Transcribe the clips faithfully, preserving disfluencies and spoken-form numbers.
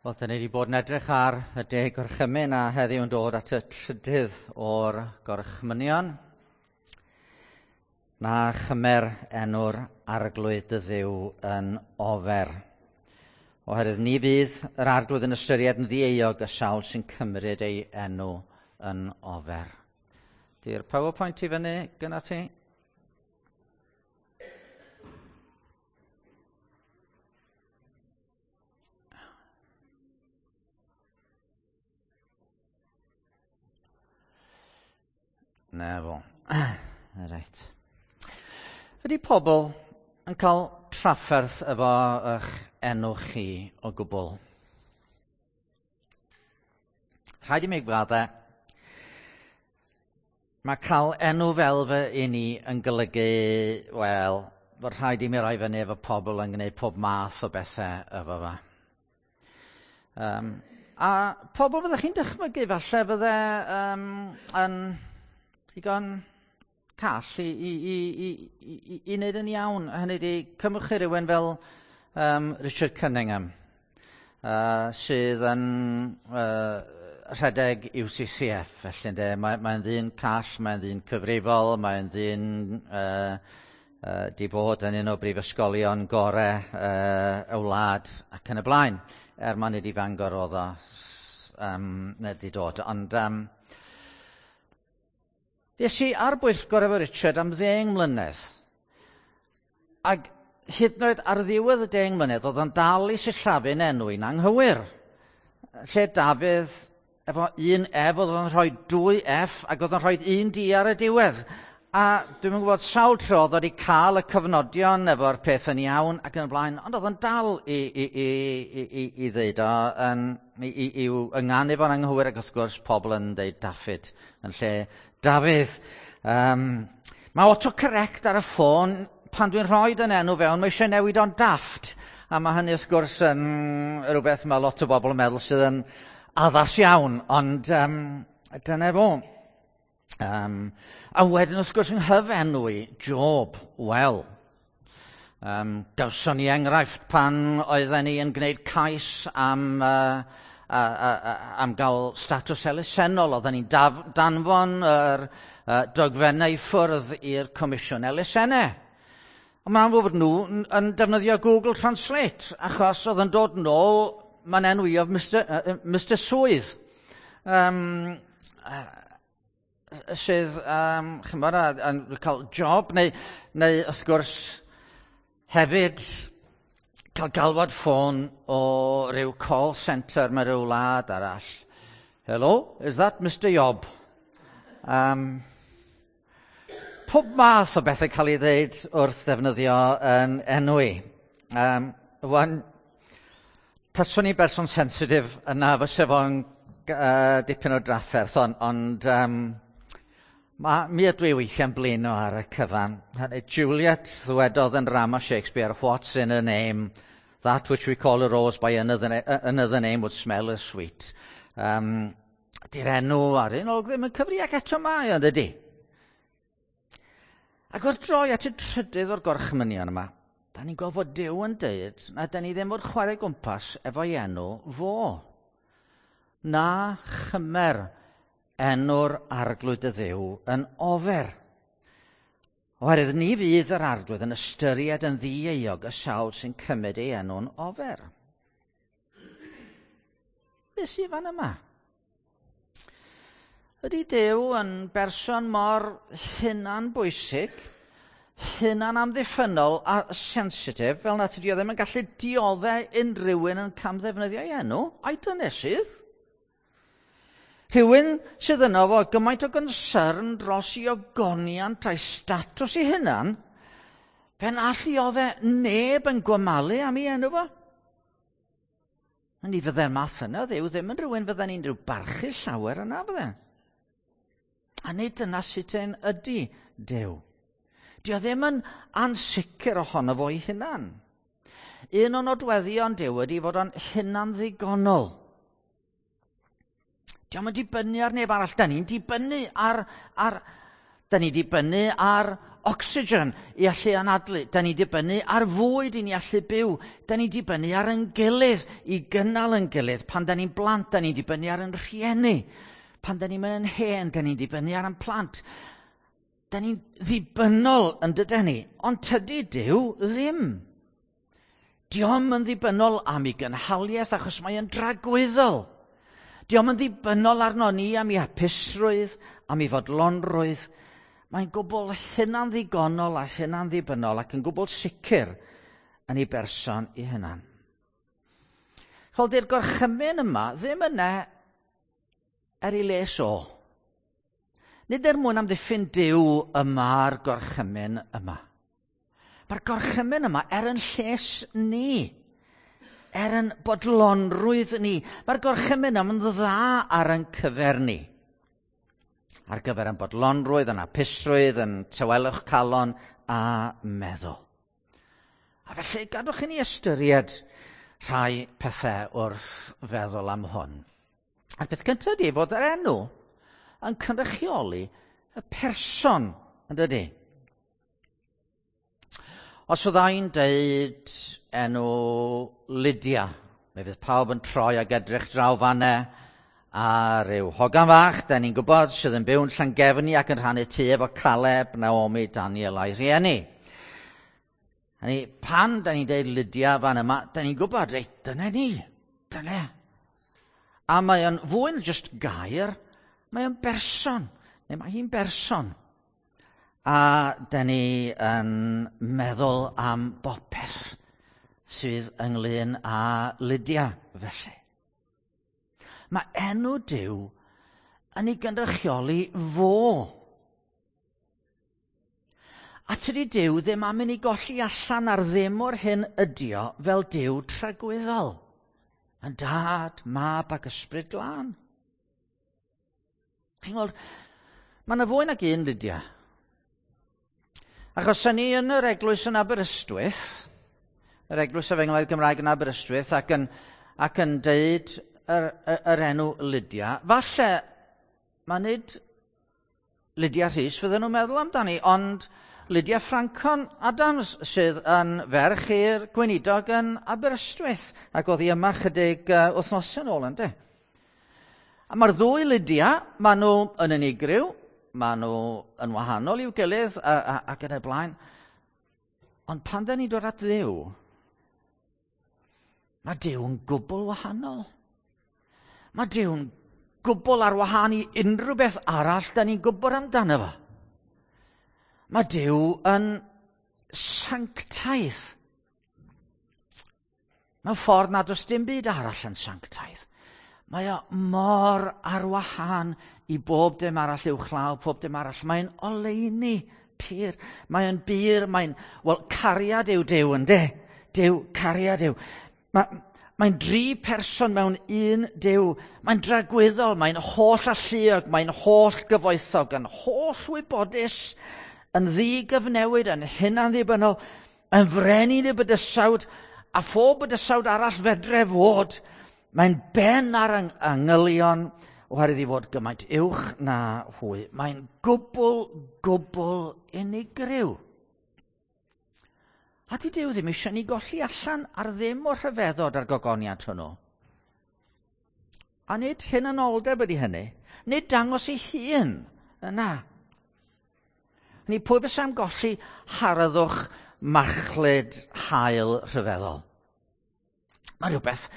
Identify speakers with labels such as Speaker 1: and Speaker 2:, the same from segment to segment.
Speaker 1: Wel, da ni wedi bod yn edrych ar y deg gorchymyn a heddiw yn dod at y trydydd o'r gorchmynion. Na chymer enw'r arglwydd dy Dduw yn ofer. Oherwydd ni fydd yr arglwydd yn ystyried yn ddieuog y sawl sy'n cymryd ei enw yn ofer. Di'r PowerPoint i fyny gyda ti? Na fo. Reit. Ydy pobl yn cael trafferth efo eich enw chi o gwbl? Rhaid i mi gwadde, mae cael enw fel fy un i yn golygu, wel, fod rhaid i mi roi fyny efo pobl yn gwneud pob math o bethau efo fa. Um, a pobl fyddech chi'n dychmygu falle fydde um, yn digon call i, i, i, i, i, i wneud yn iawn. Hynny ydi, cymwch chi rywun fel um, Richard Cunningham, uh, sydd yn uh, rhedeg U C C F. Felly, ynde, mae, mae'n ddyn call, mae'n ddyn cyfrifol, mae'n ddyn uh, uh, di bod yn un o brifysgolion gore uh, y wlad ac yn y blaen. Er mae'n nid i Fangor oedd o um, nid i dod. Ond um, Nes i ar bwyllgor efo Richard am ddeng mlynedd. Ac hyd yn oed ar ddiwedd y deng mlynedd, oedd o'n dal i sillafu'n enw i'n anghywir. Lle Dafydd, efo un F, oedd o'n rhoi dwy F, ac oedd o'n rhoi un D ar y diwedd. A dwi'm yn gwybod sawl tro oedd wedi cael y cyfnodion efo'r peth yn iawn ac yn y blaen, ond oedd o'n dal i, i, i, i, i, i ddeud o, yn, i, i, i'w ynganu fo'n anghywir, ac wrth gwrs pobl yn deud Daffyd yn lle Dafydd. Um, mae autocorrect ar y ffôn, pan dwi'n rhoi yn enw fewn, mae eisiau newid o'n dafft. A mae hynny wrth gwrs yn rhywbeth mae lot o bobl yn meddwl sydd yn addas iawn, ond um, dyna fo. Um, a wedyn wrth gwrs yng nghyfenw i, Job, wel. Um, gawson ni enghraifft pan oedden ni yn gwneud cais am, uh, a, a, a, am gael statws elusennol. Oedden ni'n daf, danfon yr uh, dogfennau i ffwrdd i'r Comisiwn Elusennau. Ond mae'n amlwg bod nhw yn, yn defnyddio Google Translate, achos oedd yn dod nôl, mae'n enw i oedd Mister, uh, Mister Swydd. Um, uh, sydd, um, chymod, yn cael job, neu, neu wrth gwrs hefyd cael galwad ffôn o ryw call centre mewn rhyw wlad arall. Hello, is that Mister Job? Um, pob math o bethau cael ei ddeud wrth ddefnyddio yn enw i. Um, wan, taswn i berson sensitif yna fyse fo'n uh, dipyn o drafferth, ond, ond um, Ma, mi ydw i weithiau'n blino ar y cyfan. Juliet ddwedodd yn drama Shakespeare, what's in a name? That which we call a rose by another, another name would smell as sweet. Um, di'r enw ar un olwg ddim yn cyfri ac eto mae o'n dydi. Ac wrth droi at y trydydd o'r gorchmynion yma, da ni'n gweld fod Duw yn deud na da ni ddim fod chwarae gwmpas efo'i enw fo. Na chymer enw'r arglwydd y Dduw yn ofer. Oherwydd ni fydd yr arglwydd yn ystyried yn ddieuog y sawl sy'n cymryd ei enw'n ofer. Be sydd fan yma? Ydy Duw yn berson mor hunanbwysig, hunanamddiffynnol a sensitif, fel na tydi o ddim yn gallu dioddau unrhyw un yn camddefnyddio ei enw, a'i dynesydd? Rhywun sydd yno fo gymaint o gynsyrn dros i ogoniant a'i statws ei hunan, pen alluodd e neb yn gwamalu am ei enw fo. A ni fydde'r math yna, Dduw ddim yn rhywun fydden ni'n rhyw barchu llawer yna fydde. A nid dyna sut ein ydy Duw. Dio ddim yn ansicr ohono fo'i hunan. Un o nodweddion Duw ydy fod o'n hunan ddigonol. Dio'm yn dibynnu ar neb arall. Da ni'n dibynnu ar, ar, da ni'n dibynnu ar ocsigen i allu anadlu. Da ni'n dibynnu ar fwyd i ni allu byw. Da ni'n dibynnu ar ein gilydd i gynnal ein gilydd. Pan da ni'n blant, da ni'n dibynnu ar ein rhieni. Pan da ni'n mynd yn hen, da ni'n dibynnu ar ein plant. Da ni'n ddibynnol yn dydyn ni, ond tydi Duw ddim. Dio'm yn ddibynnol am ei gynhaliaeth achos mae yn dragwyddol. Dio'm yn ddibynnol arno ni am ei hapusrwydd, am ei fodlonrwydd. Mae'n gwbl hunanddigonol a hunanddibynnol ac yn gwbl sicr yn ei berson ei hunan. Chol, di'r gorchymyn yma ddim yna er ei les o. Nid er mwyn amddiffyn Duw y mae'r gorchymyn yma. Mae'r gorchymyn yma er yn lles ni, er yn bodlonrwydd ni. Mae'r gorchymyn yma'n dda ar ein cyfer ni. Ar gyfer yn bodlonrwydd, yn hapusrwydd, yn tawelwch calon a meddwl. A felly, gadwch i ni ystyried rhai pethau wrth feddwl am hwn. A'r peth cyntaf ydy fod yr enw yn cynrychioli y person, yn dydy? Os fyddai'n deud enw Lydia, mi fydd pawb yn troi ag edrych draw fanne a rhyw hogan fach, da ni'n gwybod, sydd yn byw'n Llangefni ac yn rhannu tŷ efo Caleb, Naomi, Daniel a'i rhieni. Hynny, pan da ni'n deud Lydia fan yma, da ni'n gwybod, reit, dyna ni, dyna. A mae o'n fwy na jyst gair, mae o'n berson, neu mae hi'n berson. A da ni yn meddwl am bopeth sydd ynglyn â Lydia, felly. Mae enw Duw yn ei gynrychioli fo. A tydi Duw ddim am i ni golli allan ar ddim o'r hyn ydi o fel Duw tragwyddol. Yn dad, mab ac ysbryd glân. Chi'n gweld, mae yna fwy nag un Lydia. Achos ni yn yr eglwys yn Aberystwyth, yr eglwys Efengylaidd Gymraeg yn Aberystwyth, ac yn, ac yn deud yr, yr, yr enw Lydia, falle mae nid Lydia Rhys fydden nhw'n meddwl amdani, ond Lydia Ffrancon Adams sydd yn ferch i'r gweinidog yn Aberystwyth, ac oedd hi yma chydig uh, wythnosau nôl, ynde? A mae'r ddwy Lydia, maen nhw yn unigryw, maen nhw yn wahanol i'w gilydd a, a, ac yn y blaen. Ond pan da ni'n dod at Dduw, mae Duw yn gwbl wahanol. Mae Duw'n gwbl ar wahân i unrhyw beth arall da ni'n gwybod amdano fo. Mae Duw yn sanctaidd. Mewn ffordd nad oes dim byd arall yn sanctaidd. Mae o mor ar wahân i bob dim arall uwchlaw, pob dim arall. Mae'n oleuni pur. Mae'n bur, mae'n... Wel, cariad yw Duw, ynde? Duw, cariad yw. Mae, mae'n dri person mewn un Duw. Mae'n dragwyddol, mae'n holl alluog, mae'n holl gyfoethog, yn holl wybodus, yn ddigyfnewid, yn hunanddibynnol, yn frenin y bydysawd, a phob bydysawd arall fedre fod. Mae'n ben ar angylion, oherwydd i fod gymaint uwch na hwy. Mae'n gwbl, gwbl unigryw. A di Duw ddim eisiau ni golli allan ar ddim o'r rhyfeddod a'r gogoniant hwnnw. A nid hunanoldeb ydy hynny. Nid dangos ei hun yna. Ni pwy bysa am golli harddwch machlud haul rhyfeddol. Mae rhywbeth,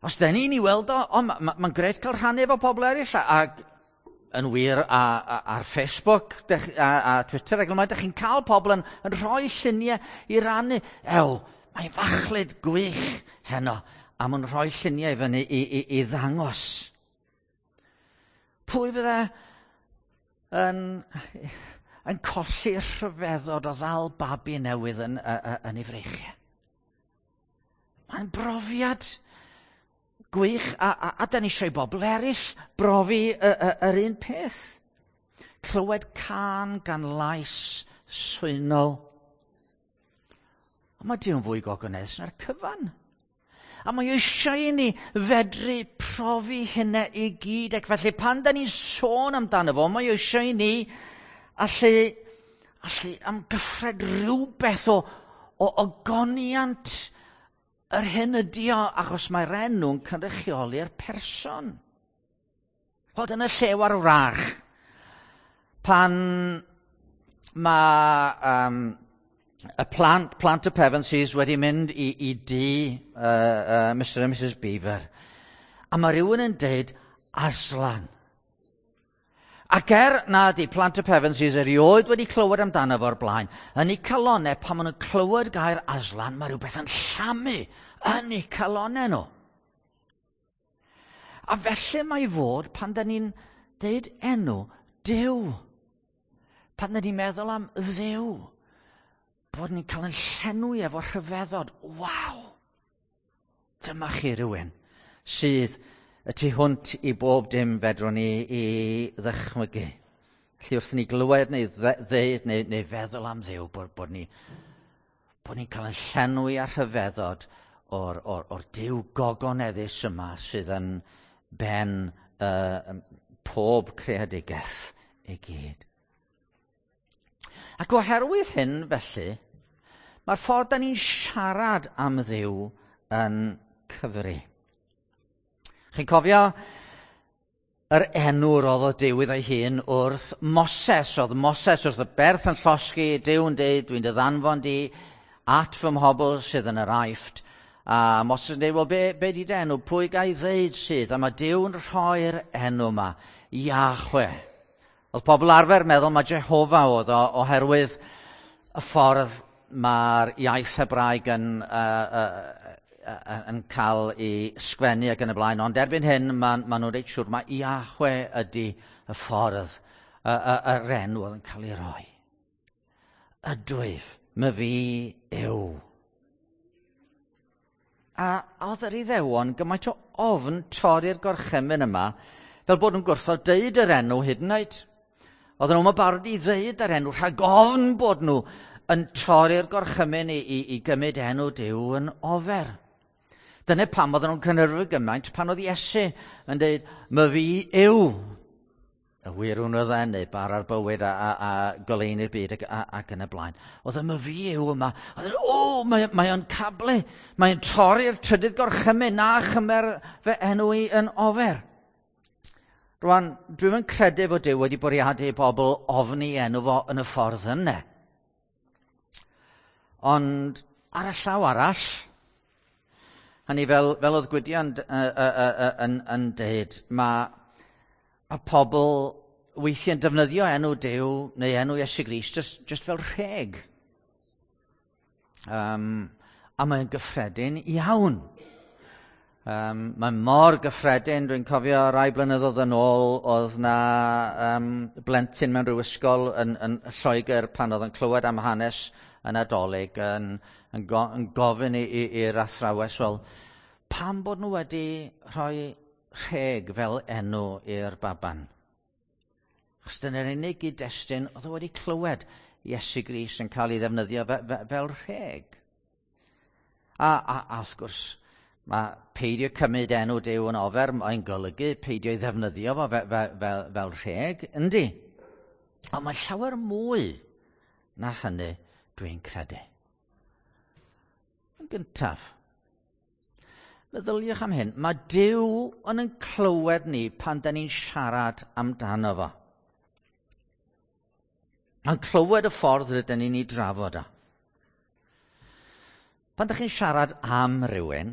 Speaker 1: os da ni'n ei weld o, o mae'n ma, ma grêt cael rhannu efo pobl eraill, ac yn wir a, a, ar Facebook dech, a, a Twitter ac ymlaen, dych chi'n cael pobl yn, yn rhoi lluniau i rannu. Ew, mae'n fachlud gwych heno, a ma'n rhoi lluniau i fyny i, i, i ddangos. Pwy fydde yn, yn colli'r rhyfeddod o ddal babi newydd yn, yn, yn ei freichiau? Mae'n brofiad gwych, a, a, a da ni eisiau bobl eraill brofi y, y, yr un peth. Clywed cân gan lais swynol. Ond mae Duw'n fwy gogoneddus na'r cyfan. A mae eisiau i ni fedru profi hynna i gyd. Ac felly pan da ni'n sôn amdano fo, mae eisiau i ni allu, allu amgyffred rhywbeth o, o ogoniant yr hyn ydi o, achos mae'r enw'n cynrychioli'r person. Wel, dyna llew ar wrach. Pan mae um, y plant, plant y Pevensies wedi mynd i, i dŷ uh, uh, Mister and Missus Beaver, a mae rhywun yn deud Aslan. Ac er na di plant y Pevensies erioed wedi clywed amdano fo'r blaen, yn eu calonau, pan maen nhw'n clywed gair Aslan, mae rhywbeth yn llamu yn eu calonau nhw. A felly mae fod pan da ni'n deud enw Duw. Pan da ni'n meddwl am Dduw, bod ni'n cael yn llenwi efo rhyfeddod. Waw! Dyma chi rhywun sydd y tu hwnt i bob dim fedrwn ni i ddychmygu. Felly wrth ni glywed neu ddeud neu, neu feddwl am Dduw, bod, bod ni, bod ni'n cael yn llenwi a rhyfeddod o'r, or, or Duw gogoneddus yma sydd yn ben uh, pob creadigaeth i gyd. Ac oherwydd hyn, felly, mae'r ffordd da ni'n siarad am Dduw yn cyfri. Chi'n cofio yr enw roddodd Duw iddo'i hun wrth Moses. Oedd Moses wrth y berth yn llosgi, Duw yn deud, dwi'n dy ddanfon di at fy mhobl sydd yn yr Aifft. A Moses yn deud, wel, be, be di dy enw? Pwy ga i ddeud sydd? A mae Duw'n rhoi'r enw yma, Yahwe. Oedd pobl arfer meddwl mae Jehofa oedd o, oherwydd y ffordd mae'r iaith Hebraeg yn, uh, uh, yn cael ei sgwennu ac yn y blaen. Ond erbyn hyn, maen ma nhw'n reit siŵr mae Yahwe ydy y ffordd, y, y, yr enw oedd yn cael ei roi. Ydwyf, my fi yw. A oedd yr Iddewon gymaint o ofn torri'r gorchymyn yma, fel bod nhw'n gwrthod deud yr enw hyd yn oed. Oedden nhw'n barod i ddeud yr enw rhag ofn bod nhw yn torri'r gorchymyn i, i, i gymryd enw Duw yn ofer. Dyna pam oedden nhw'n cynhyrfu gymaint pan oedd Iesu yn dweud, my fi yw y wir hwn oedd e, neu bara'r bywyd a, a, a goleuni'r byd ac, a, ac yn y blaen. Oedd y my fi yw yma. Oedd e, o, mae, mae o'n cablu, mae'n torri'r trydydd gorchymyn, na chymer fy enw i yn ofer. Rwan, dwi'm yn credu bod Duw wedi bwriadu i bobl ofni enw fo yn y ffordd yna. Ond ar y llaw arall, hynny fel, fel oedd Gwydion uh, uh, uh, yn, yn deud, mae, mae pobl weithiau'n defnyddio enw Duw neu enw Iesu Grist just, just fel rheg. Um, a mae'n gyffredin iawn. Um, mae'n mor gyffredin, dwi'n cofio rai blynyddoedd yn ôl, oedd na um, blentyn mewn rhyw ysgol yn, yn Lloegr pan oedd yn clywed am hanes y Nadolig yn, yn, go, yn gofyn i'r athrawes, wel, pam bod nhw wedi rhoi rheg fel enw i'r baban? Achos dyna'r unig gyd-destun oedd o wedi clywed Iesu Grist yn cael ei ddefnyddio fe, fe, fel rheg. A, a, a wrth gwrs, mae peidio cymryd enw Duw yn ofer, mae'n golygu peidio ei ddefnyddio fo fe, fe, fel, fel rheg, yndi? Ond mae llawer mwy na hynny, dwi'n credu. Yn gyntaf, meddyliwch am hyn, mae Duw yn yn clywed ni pan da ni'n siarad amdano fo. Mae'n clywed y ffordd rydyn ni'n ei drafod o. Pan da chi'n siarad am rywun,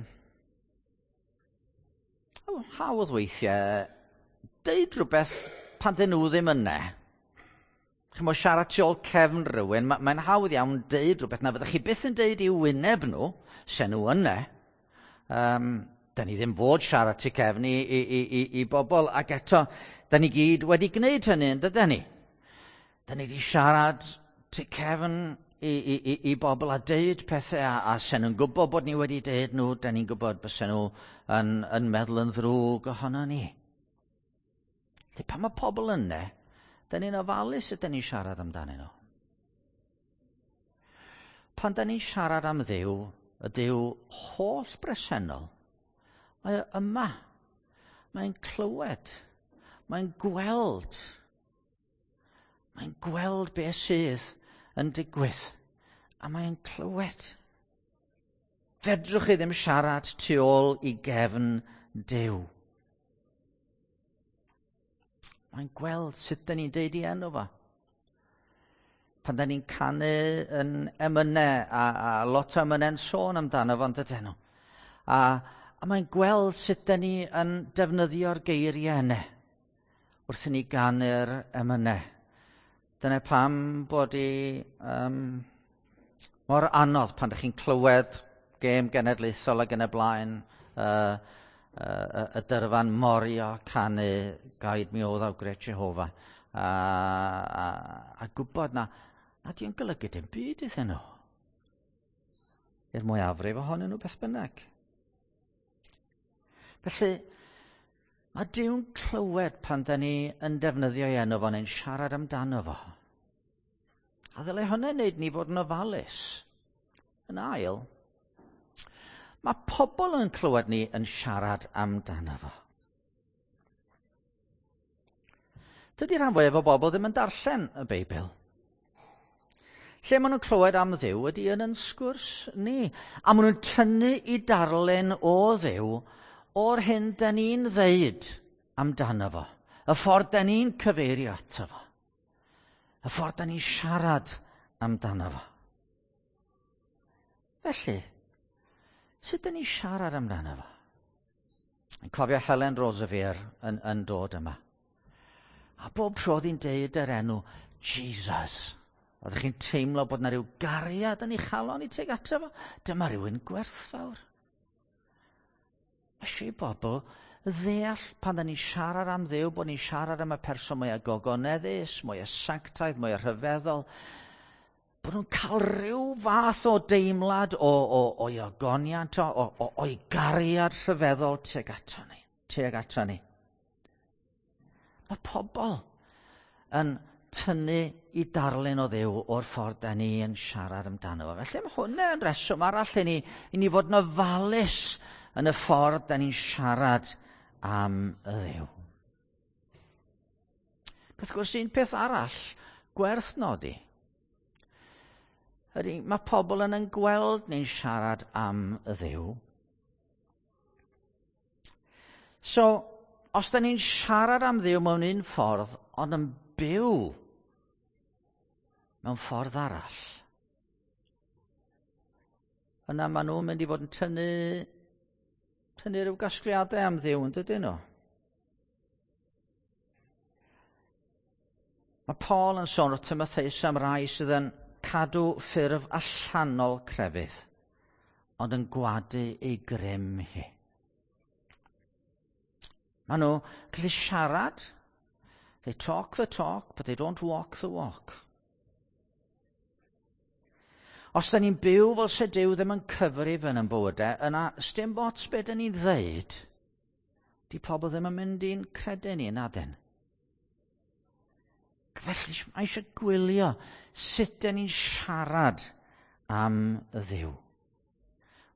Speaker 1: oh, hawdd weithiau, deud rhywbeth pan dyn nhw ddim yna. Chi'n siarad tu ôl cefn rhywun, mae'n hawdd iawn deud rhywbeth na fyddech chi byth yn deud i'w wyneb nhw, se nhw yna. Um, da ni ddim fod siarad tu cefn i, i, i, i, i bobl, ac eto, da ni gyd wedi gwneud hynny, yn dydyn ni? Da ni wedi siarad tu cefn i, i, i, i bobl a deud pethau, a, a se nhw'n gwybod bod ni wedi deud nhw, da ni'n gwybod bysen nhw yn, yn meddwl yn ddrwg ohono ni. Felly pan mae pobl yna, da ni'n ofalus ydyn ni'n siarad amdanyn nhw. Pan da ni'n siarad am Dduw, y Duw holl bresennol, mae o yma. Mae'n clywed. Mae'n gweld. Mae'n gweld beth sydd yn digwydd. A mae'n clywed. Fedrwch chi ddim siarad tu ôl i gefn Duw. Mae'n gweld sut dyn ni'n deud i enw fo. Pan dyn ni'n canu yn emynau, a, a lot o emynau'n sôn amdano fo, yn dydyn nhw. A, a mae'n gweld sut dyn ni yn defnyddio'r geiriau yna wrth i ni ganu'r emynau. Dyna pam bod i um, mor anodd pan ydych chi'n clywed gêm genedlaethol ac yn y blaen, uh, uh, y dyrfa'n morio canu "Guide Me, O Thou Great Jehovah". A, a, a gwybod na, na di'n golygu dim byd iddyn nhw. I'r mwyafrif ohonyn nhw beth bynnag. Felly, mae Duw'n clywed pan da ni yn defnyddio ei enw fo neu'n siarad amdano fo. A ddylai hynny wneud ni fod yn ofalus. Yn ail, mae pobl yn clywed ni yn siarad amdano fo. Dydy rhan fwyaf o bobl ddim yn darllen y Beibl. Lle maen nhw'n clywed am Dduw ydy yn yn sgwrs ni. A maen nhw'n tynnu i darllen o Dduw o'r hyn da ni'n ddeud amdano fo. Y ffordd da ni'n cyfeirio ato fo. Y ffordd da ni'n siarad amdano fo. Felly, sut da ni'n siarad amdano fo? Yn cofio Helen Roseveare yn, yn dod yma. A bob tro oedd hi'n deud yr enw Jesus. Oeddech chi'n teimlo bod yna rhyw gariad yn ei chalon i tuag ato fo? Dyma rhywun gwerthfawr. Mae eisiau i bobl ddeall pan da ni'n siarad am Dduw, bod ni'n siarad am y person mwyaf gogoneddus, mwyaf sanctaidd, mwyaf rhyfeddol, bod nhw'n cael rhyw fath o deimlad o, o, o'i ogoniant, o, o, o'i gariad rhyfeddol tuag ato ni. Tuag ato ni. Mae pobl yn tynnu i darlun o Dduw o'r ffordd da ni yn siarad amdano fo. Felly mae hwnna yn reswm arall i ni, i ni fod yn ofalus yn y ffordd da ni'n siarad am y Dduw. Wrth gwrs, un peth arall gwerth nodi ydy mae pobl yn yn gweld ni'n siarad am y Dduw. So, os da ni'n siarad am Dduw mewn un ffordd, ond yn byw mewn ffordd arall, yna maen nhw'n mynd i fod yn tynnu, tynnu rhyw gasgliadau am Dduw, yn dydyn nhw? Mae Paul yn sôn wrth Timotheus am rai sydd yn cadw ffurf allanol crefydd, ond yn gwadu ei grym hi. Maen nhw gallu siarad, they talk the talk, but they don't walk the walk. Os da ni'n byw fel se Duw ddim yn cyfrif yn ein bywydau, yna sdim ots be da ni'n ddeud, di pobl ddim yn mynd i'n credu ni, nadyn. Felly mae eisiau gwylio sut da ni'n siarad am y Dduw.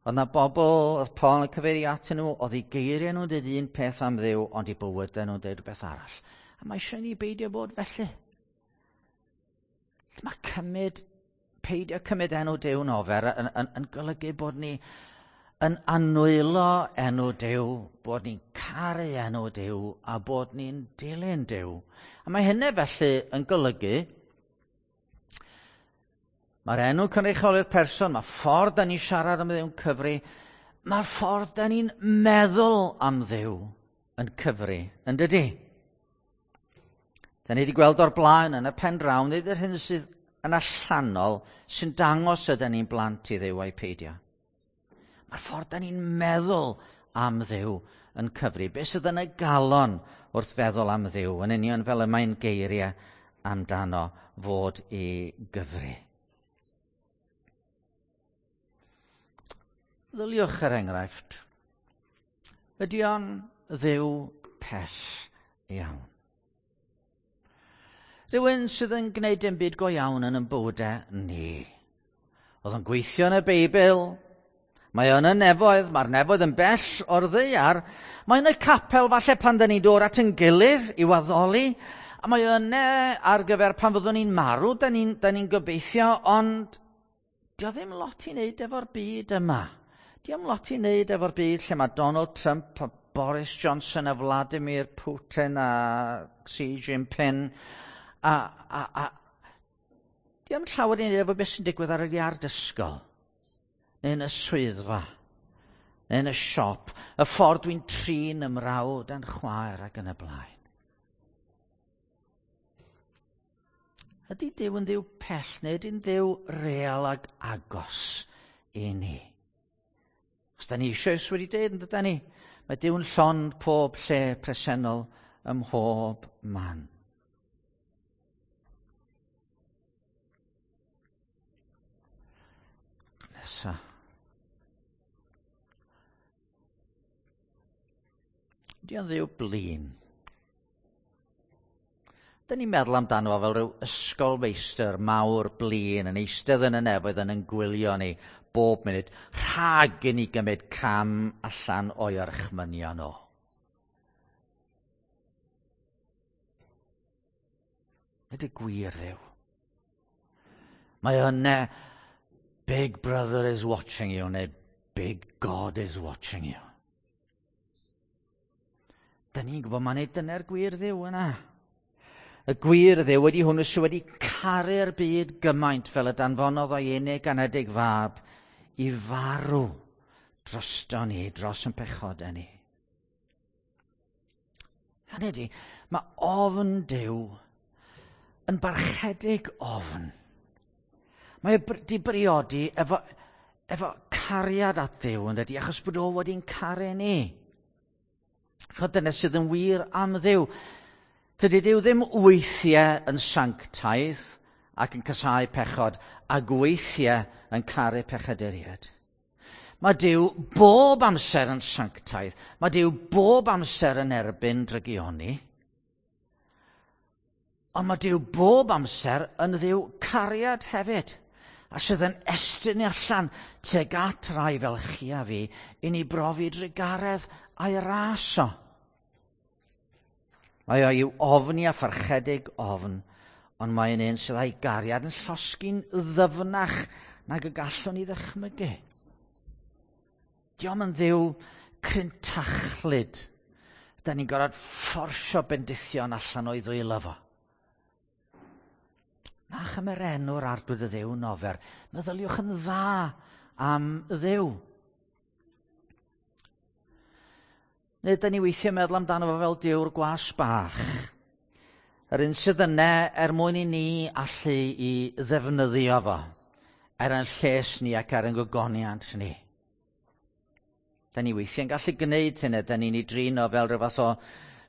Speaker 1: Oedd na bobl, oedd Paul yn cyfeirio atyn nhw, oedd eu geiriau nhw'n dweud un peth am Dduw, ond eu bywydau nhw'n dweud rhywbeth arall. A mae eisiau ni beidio bod felly. Mae cymryd, peidio cymryd enw Duw'n ofer yn, yn, yn golygu bod ni yn anwylo enw Duw, bod ni'n caru enw Duw a bod ni'n dilyn Duw. A mae hynny felly yn golygu mae'r enw cynrychioli'r person, mae ffordd da ni'n siarad am Dduw'n cyfri, mae'r ffordd da ni'n meddwl am Dduw yn cyfri, yn dydy? Da ni wedi gweld o'r blaen yn y pen draw, nid yr hyn sydd yn allanol sy'n dangos ydyn ni'n blant i Dduw a'i peidio. Mae'r ffordd da ni'n meddwl am Dduw yn cyfri. Be sydd yn y galon wrth feddwl am Dduw, yn union fel y mae'n geiriau amdano fod i gyfri. Ddyliwch er enghraifft, ydy o'n Dduw pell iawn? Rhywun sydd yn gwneud dim byd go iawn yn ein bywydau ni. Oedd yn gweithio yn y Beibl, mae o'n y nefoedd, mae'r nefoedd yn bell o'r ddaear, mae yn y capel falle pan da ni'n dod at yn gilydd i waddoli, A mae o yna ar gyfer pan fyddwn ni'n marw, da ni'n ni gobeithio, ond dio ddim lot i wneud efo'r byd yma. Dio ddim lot i wneud efo'r byd lle mae Donald Trump a Boris Johnson a Vladimir Putin a Xi Jinping a, a, a dio ddim llawer i wneud efo beth sy'n digwydd ar yr iard ysgol neu yn y swyddfa neu yn y siop, y ffordd dwi'n trin ymrawd a'n chwaer ac yn y blaen. Ydy Duw yn Dduw pell neu ydy'n Dduw real ag agos i ni? Os da ni eisoes wedi dweud, yn dyda ni, mae Duw'n llond pob lle presennol ym mhob man. Nesa. Ydy o'n Dduw blin? Da ni'n meddwl amdano fo fel rhyw ysgolfeistr mawr blin yn eistedd yn y nefoedd yn yn gwylio ni bob munud rhag i ni gymryd cam allan o'i orchmynion o. Nid y gwir Dduw. Mae yna Big Brother is watching you neu Big God is watching you. Da ni'n gwybod mai nid dyna'r gwir Dduw yna. Y gwir Dduw wedi hwnnw sydd wedi caru'r byd gymaint fel y danfonodd o'i unig anedig fab i farw drosto ni, dros yn pechodau ni. Hynny ydy, mae ofn Duw yn barchedig ofn. Mae wedi briodi efo, efo cariad at Dduw yn dydi, achos bod o wedi'n caru ni. Chod dyna sydd yn wir am Dduw. Tydi Duw ddim weithiau yn sanctaidd ac yn casáu pechod, ac weithiau yn caru pechaduriaid. Mae Duw bob amser yn sanctaidd. Mae Duw bob amser yn erbyn drygioni. Ond mae Duw bob amser yn Dduw cariad hefyd, a sydd yn estyn allan tuag at rai fel chi a fi i ni brofi drugaredd a'i ras o. Mae o i'w ofni a pharchedig ofn, ond mae'n un sydd â'i gariad yn llosgi'n ddyfnach nag y gallwn ni ddychmygu. Dio'm yn Dduw crintachlyd. Da ni'n gorfod fforsio bendithion allan o'i ddwylo fo. Na chymer enw'r Arglwydd y Dduw nofer. Meddyliwch yn dda am Dduw. Neu da ni weithiau meddwl amdano fo fel Duw'r gwas bach. Yr un sydd yna er mwyn i ni allu i ddefnyddio fo, er yn lles ni ac er yn gogoniant ni. Da ni weithiau'n gallu gwneud hynny, da ni'n ei drin o fel rhyw fath o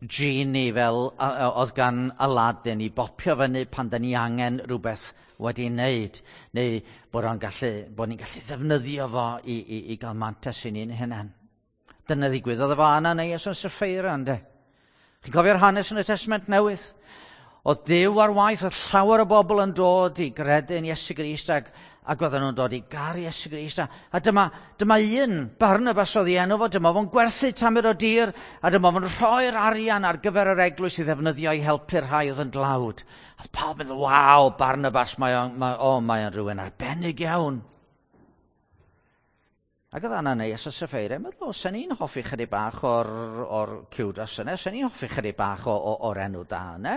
Speaker 1: genie fel oedd gan Aladdin i bopio fyny pan da ni angen rhywbeth wedi wneud, neu bod, o'n gallu, bod ni'n gallu ddefnyddio fo i, i, i gael mantais i ni'n hunain. Dyna ddigwyddodd efo Ananias a Sapphira, ynde? Chi'n cofio'r hanes yn y Testament Newydd? Oedd Duw ar waith, oedd llawer o bobl yn dod i gredu yn Iesu Grist ac, ac oedden nhw'n dod i garu Iesu Grist. A, a dyma, dyma un, Barnabas oedd ei enw fo, dyma fo'n gwerthu tamed o dir, a dyma fo'n rhoi'r arian ar gyfer yr eglwys i ddefnyddio i helpu'r rhai oedd yn dlawd. A oedd pawb yn meddwl, waw, Barnabas, mae o'n, mae, o, mae o'n rhywun arbennig iawn. Ac oedd Ananias a Sapphira yn meddwl, sen ni'n hoffi chydig bach o'r, or ciwdas yna, sen ni'n hoffi chydig bach o, o, o'r enw da yna.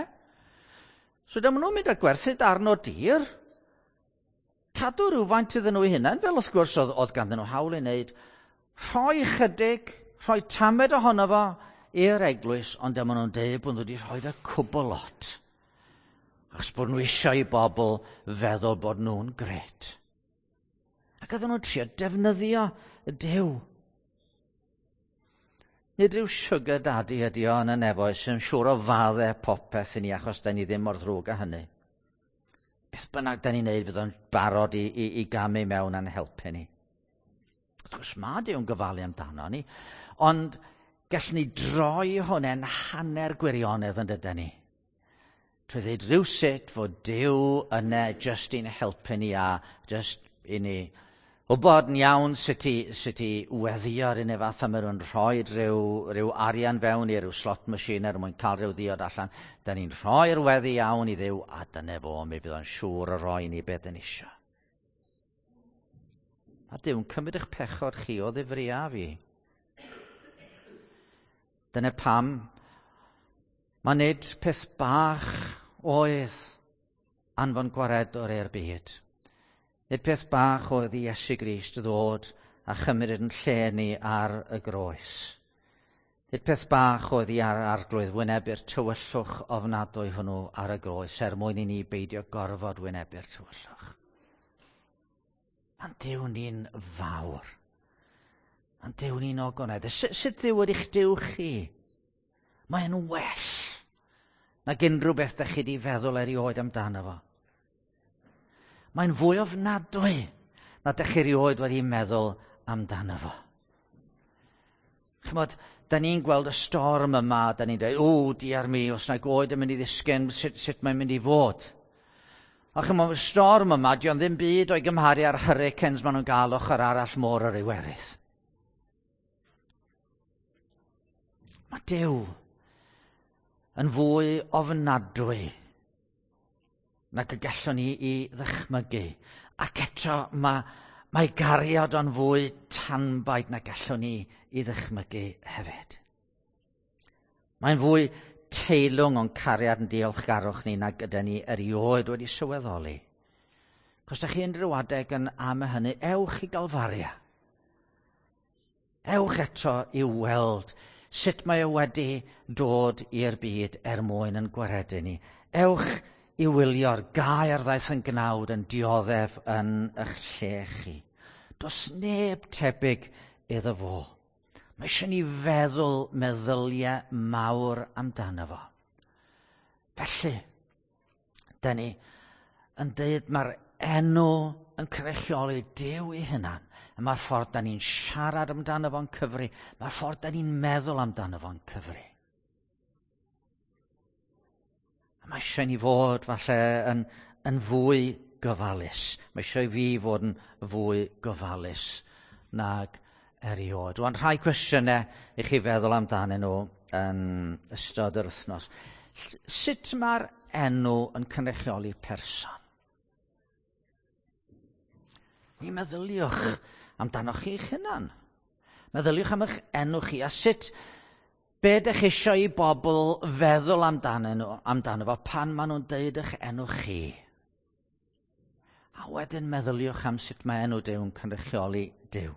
Speaker 1: So dyma nhw'n mynd a gwerthu darn o dir, cadw rhywfaint iddyn nhw eu hunain, fel wrth gwrs oedd, oedd ganddyn nhw hawl i wneud, rhoi chydig, rhoi tamed ohono fo i'r eglwys, ond dyma nhw'n deud bod nhw wedi rhoi y cwbl lot. Achos bod nhw eisiau i bobl feddwl bod nhw'n gret. Ac oedden nhw'n trio defnyddio y Duw. Nid rhyw sugar daddy ydi o yn y nefoedd sy'n siŵr o faddau popeth i ni achos da ni ddim mor ddrwg â hynny. Beth bynnag da ni'n neud fydd o'n barod i, i, i gamu mewn a'n helpu ni. Wrth gwrs mae Duw'n gofalu amdano ni, ond gallwn ni droi hwnna'n hanner gwirionedd yn dydan ni. Trwy ddweud rhywsut fod Duw yna jyst i'n helpu ni a jyst i ni wybod yn iawn sut i, sut i weddio ar un fath a maen nhw'n rhoi rhyw, rhyw arian fewn i ryw slot machine er mwyn cael rhyw ddiod allan. Da ni'n rhoi'r weddi iawn i Dduw a dyna fo, mi fydd o'n siŵr o roi ni beth yn isio. A Duw'n cymryd eich pechod chi o ddifri a fi. Dyna pam mae nid peth bach oedd anfon gwaredwr i'r byd. Nid peth bach oedd i Iesu Grist ddod a chymryd yn lle ni ar y groes. Nid peth bach oedd i ar arglwydd wynebu'r tywyllwch ofnadwy hwnnw ar y groes er mwyn i ni beidio gorfod wynebu'r tywyllwch. Mae'n Duw ni'n fawr. Mae'n Duw ni'n ogoneddus. Sut, sut Dduw ydych Duw chi? Mae'n well nag unrhyw beth ydych chi wedi feddwl erioed amdano fo. Mae'n fwy ofnadwy na ydych chi erioed wedi meddwl amdano fo. Chymod, da ni'n gweld y storm yma, da ni'n dweud, o, diar mi, os na goed yn mynd i ddisgyn, sut, sut mae'n mynd i fod? A chymod, y storm yma, di ddim byd o'i gymharu â'r hurricanes maen nhw'n gael ochr arall môr yr Iwerydd. Mae Duw yn fwy ofnadwy nag y gallwn ni i ddychmygu. Ac eto mae, mae gariad o'n fwy tanbaid na gallwn ni i ddychmygu hefyd. Mae'n fwy teilwng o'n cariad yn diolchgarwch ni nag ydy ni erioed wedi sylweddoli. Cos da chi unrhyw adeg yn am y hynny, ewch i Galfaria. Ewch eto i weld sut mae o wedi dod i'r byd er mwyn yn gwaredu ni. Ewch i wylio'r gair ddaeth yn gnawd yn dioddef yn eich lle chi. Does neb tebyg iddo fo. Mae eisiau ni feddwl meddyliau mawr amdano fo. Felly, da ni yn dweud mae'r enw yn cynrychioli Duw ei hunan. A mae'r ffordd da ni'n siarad amdano fo'n cyfri. Mae'r ffordd da ni'n meddwl amdano fo'n cyfri. A mae eisiau ni fod falle yn, yn fwy gofalus. Mae eisiau i fi fod yn fwy gofalus nag erioed. Rwan, rhai cwestiynau i chi feddwl amdanyn nhw yn ystod yr wythnos. Sut mae'r enw yn cynrychioli person? Mi meddyliwch amdanoch chi'ch hunan. Meddyliwch am eich enw chi a sut be ydych chi eisiau i bobl feddwl amdano, nhw, amdano fo pan maen nhw'n deud eich enw chi. A wedyn meddyliwch am sut mae enw Duw yn cynrychioli Duw.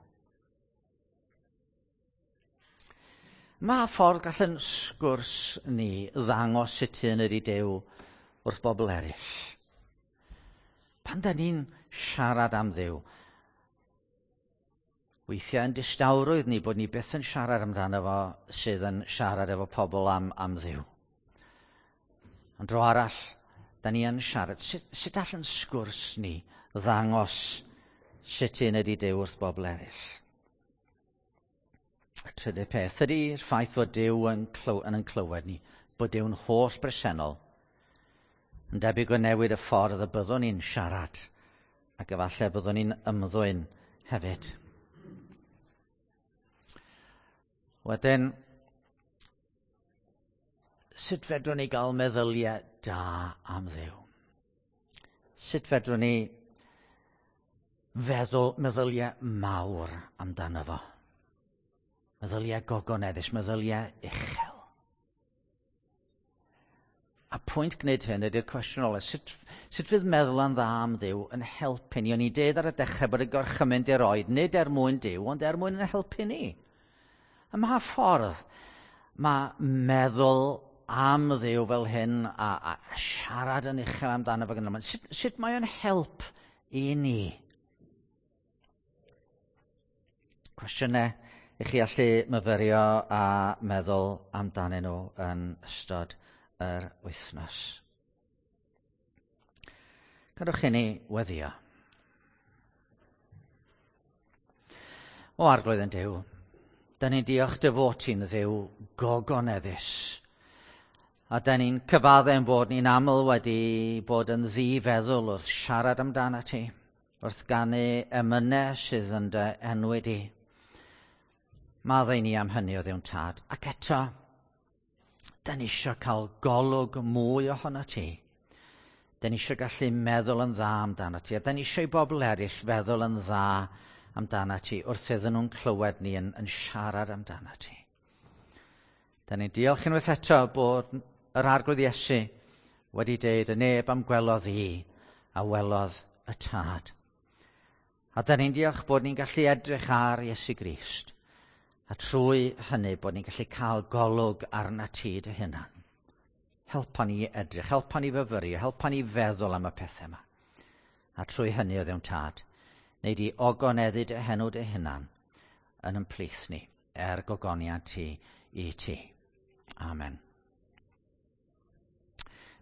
Speaker 1: Mae ffordd gall yn sgwrs ni ddangos sut un ydy Duw wrth bobl eraill. Pan da ni'n siarad am Dduw, weithiau yn distawrwydd ni bod ni byth yn siarad amdano fo sydd yn siarad efo pobl am, am Dduw. Ond dro arall, da ni yn siarad. Sut, sut all yn sgwrs ni ddangos sut un ydy Duw wrth bobl eraill? Y trydydd peth ydy'r ffaith fod Duw yn, clyw, yn, yn clywed ni, bod Duw'n holl bresennol, yn debyg o newid y ffordd y byddwn ni'n siarad, ac efallai byddwn ni'n ymddwyn hefyd. Wedyn, sut fedrwn ni gael meddyliau da am Dduw? Sut fedrwn ni feddwl meddyliau mawr amdano fo? Meddyliau gogoneddus, meddyliau uchel. A pwynt gwneud hyn ydy'r cwestiwn ola. Sut, sut fydd meddwl yn dda am Dduw yn helpu ni? O'n i dweud ar y dechrau bod y gorchymyn di roed, nid er mwyn Duw, ond er mwyn yn helpu ni. Ym mha ffordd mae meddwl am Dduw fel hyn a, a siarad yn uchel amdano fo gyda sut, sut mae o'n help i ni? Cwestiynau i chi allu myfyrio a meddwl amdanyn nhw yn ystod yr wythnos. Cadwch i ni weddio. O Arglwydd yn Duw, da ni'n diolch dy fod ti'n Dduw gogoneddus. A da ni'n cyfadde'n bod ni'n aml wedi bod yn ddifeddwl wrth siarad amdano ti. wrth ganu emynau sydd yn dy enwi di. Maddau ni am hynny o Dduw'n Tad. Ac eto, da ni eisiau cael golwg mwy ohono ti. Da ni eisiau gallu meddwl yn dda amdano ti. A da ni eisiau i bobl eraill feddwl yn dda amdano ti wrth iddyn nhw'n clywed ni yn, yn siarad amdano ti. Da ni'n diolch unwaith eto bod yr Arglwydd Iesu wedi deud y neb am gwelodd i a welodd y Tad. A da ni'n diolch bod ni'n gallu edrych ar Iesu Grist. A trwy hynny bod ni'n gallu cael golwg arna ti dy hunan. Helpa ni edrych, helpa ni fyfyrio, helpa ni feddwl am y pethau yma. A trwy hynny o Dduw'n Tad, neu di ogoneddu dy henw dy hunan yn ymplith ni, er gogoniant ti i ti. Amen.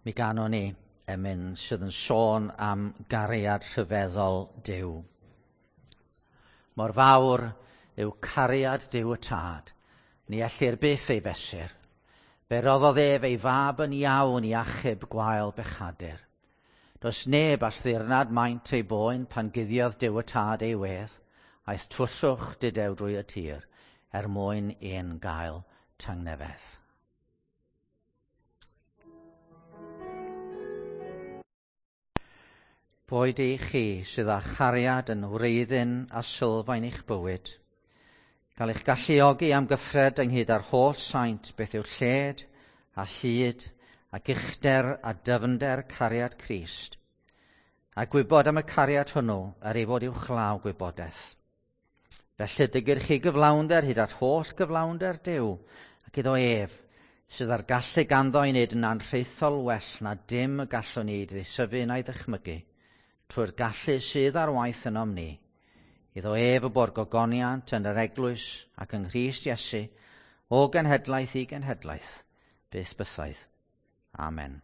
Speaker 1: Mi ganwn ni emyn sydd yn sôn am gariad rhyfeddol Duw. Mor fawr yw cariad Duw y Tad, ni ellir byth ei fesur. Fe roddodd ef ei fab yn iawn i achub gwael bechadur. Does neb all ddirnad maint ei boen pan guddiodd Duw y Tad ei wedd, aeth twllwch dudew drwy y tir, er mwyn un gael tangnefedd. Boed i chi sydd â chariad yn wreiddyn a sylfaen eich bywyd, gael eich galluogi am gyffred ynghyd â'r holl saint beth yw lled a hyd ac uchder a dyfnder cariad Crist, a gwybod am y cariad hwnnw er ei fod uwchlaw gwybodaeth. Felly dygir chi gyflawnder hyd at holl gyflawnder Duw, ac iddo ef, sydd â'r gallu ganddo i wneud yn anrhaethol well na dim y gallwn ni ddeisyfu na'i ddychmygu, trwy'r gallu sydd ar waith ynom ni. Iddo ef y bo'r gogoniant yn yr eglwys ac yng Nghrist Iesu, o genhedlaeth i genhedlaeth, byth bythaidd. Amen.